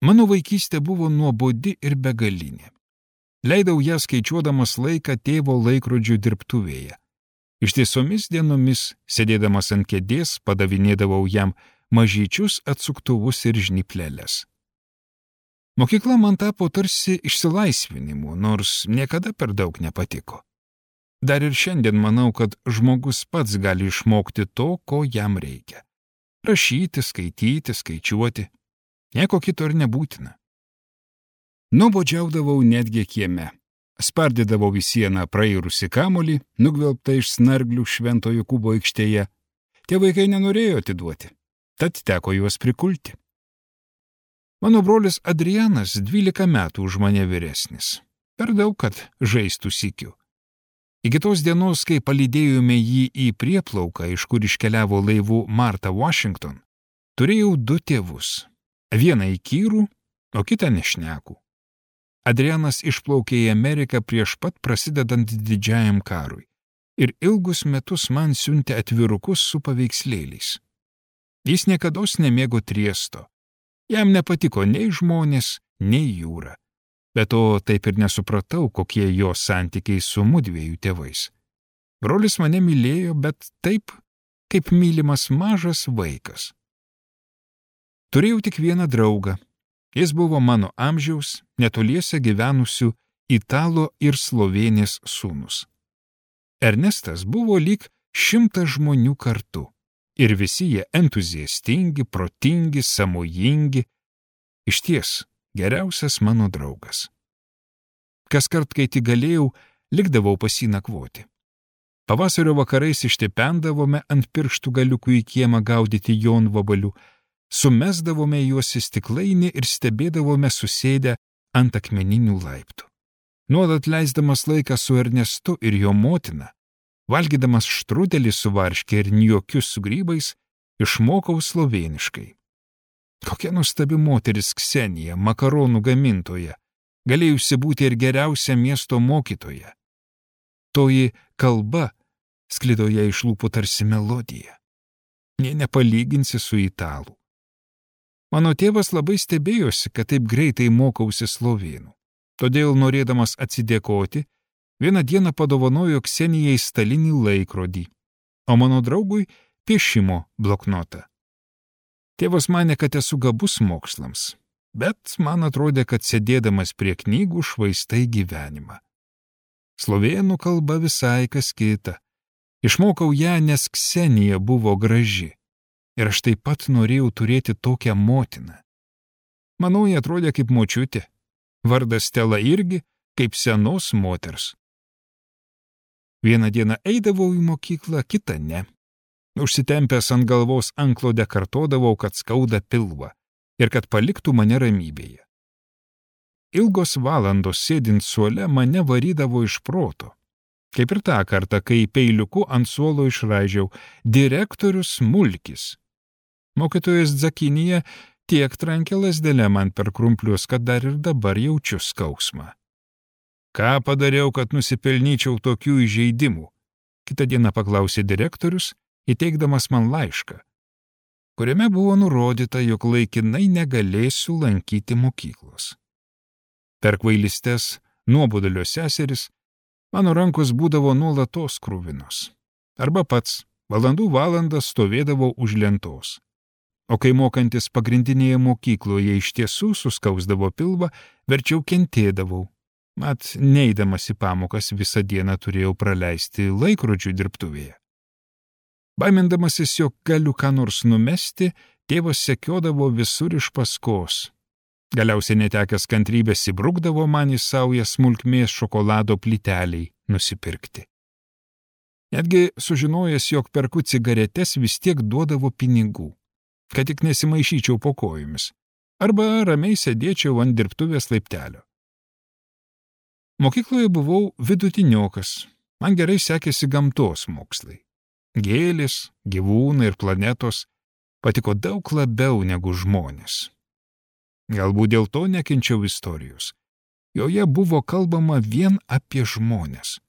Mano vaikystė buvo nuobodi ir begalinė. Leidau ją skaičiuodamas laiką tėvo laikrodžių dirbtuvėje. Ištiesomis dienomis, sėdėdamas ant kėdės, padavinėdavau jam mažyčius atsuktuvus ir žnyplelės. Mokykla man tapo tarsi išsilaisvinimu, nors niekada per daug nepatiko. Dar ir šiandien manau, kad žmogus pats gali išmokti to, ko jam reikia. Rašyti, skaityti, skaičiuoti. Nieko kito ir nebūtina. Nuobodžiaudavau netgi kieme. Spardydavau į sieną prairusį kamolį, nugvelbtą iš snarglių Švento Jokūbo aikštėje. Tie vaikai nenorėjo atiduoti, tad teko juos prikulti. Mano brolis Adrianas 12 metų už mane vyresnis. Per daug, kad žaistų sykiu. Iki tos dienos, kai palydėjome jį į prieplauką, iš kur iškeliavo laivu Martha Washington, turėjau 2 tėvus. Vieną įkyrų, o kitą nešnekų. Adrianas išplaukė į Ameriką prieš pat prasidedant didžiajam karui ir ilgus metus man siuntė atvirukus su paveikslėliais. Jis niekados nemėgo triesto. Jam nepatiko nei žmonės, nei jūra. Bet to taip ir nesupratau, kokie jo santykiai su mudviejų tėvais. Brolis mane mylėjo, bet taip, kaip mylimas mažas vaikas. Turėjau tik vieną draugą. Jis buvo mano amžiaus, netoliese gyvenusių Italo ir Slovėnės sūnus. Ernestas buvo lyg 100 žmonių kartu. Ir visi jie entuziastingi, protingi, sąmojingi. Išties, geriausias mano draugas. Kaskart, kai tik galėjau, likdavau pas jį nakvoti. Pavasario vakarais ištipendavome ant pirštų galiukų į kiemą gaudyti jonvabalių, sumesdavome juos į stiklainį ir stebėdavome susėdę ant akmeninių laiptų. Nuolat leisdamas laiką su Ernestu ir jo motina, valgydamas štrudelį su varške ir niokius su grybais, išmokau slovėniškai. Kokia nuostabi moteris Ksenija, makaronų gamintoja, galėjusi būti ir geriausia miesto mokytoja. Toji kalba sklido ją iš lūpų tarsi melodija. Nė nepalyginsi su italų. Mano tėvas labai stebėjosi, kad taip greitai mokausi slovėnų. Todėl, norėdamas atsidėkoti, vieną dieną padovanojo Ksenijai stalinį laikrodį, o mano draugui piešimo bloknotą. Tėvas manė, kad esu gabus mokslams, bet man atrodė, kad sėdėdamas prie knygų švaistai gyvenimą. Slovėnų kalba visai kas kita. Išmokau ją, nes Ksenija buvo graži. Ir aš taip pat norėjau turėti tokią motiną. Manau, jie atrodė kaip močiutė. Vardas Stela irgi kaip senos moters. Vieną dieną eidavau į mokyklą, kitą ne. Užsitempęs ant galvos antklodę kartodavau, kad skauda pilvą ir kad paliktų mane ramybėje. Ilgos valandos sėdint suole mane varydavo iš proto. Kaip ir tą kartą, kai peiliuku ant suolo išraižiau direktorius Mulkis. Mokytojas Dzakinija tiek trankė lazdelę man per krumplius, kad dar ir dabar jaučiu skausmą. Ką padariau, kad nusipelnyčiau tokių įžeidimų? Kitą dieną paklausė direktorius, įteikdamas man laišką, kuriame buvo nurodyta, jog laikinai negalėsiu lankyti mokyklos. Per kvailystes, nuobodulio seseris, mano rankos būdavo nuolatos kruvinos. Arba pats valandų valandas stovėdavau už lentos. O kai mokantis pagrindinėje mokykloje iš tiesų suskausdavo pilvą, verčiau kentėdavau. Mat, neidamas į pamokas visą dieną turėjau praleisti laikrodžių dirbtuvėje. Baimindamasis, jog galiu ką nors numesti, tėvas sekiodavo visur iš paskos. Galiausiai netekęs kantrybės įbrukdavo man į saują smulkmės šokolado plyteliai nusipirkti. Netgi sužinojęs, jog perku cigaretes, vis tiek duodavo pinigų, kad tik nesimaišyčiau po kojomis, arba ramiai sėdėčiau ant dirbtuvės laiptelio. Mokykloje buvau vidutiniokas, man gerai sekėsi gamtos mokslai. Gėlės, gyvūnai ir planetos patiko daug labiau negu žmonės. Galbūt dėl to nekenčiau istorijos. Joje buvo kalbama vien apie žmonės.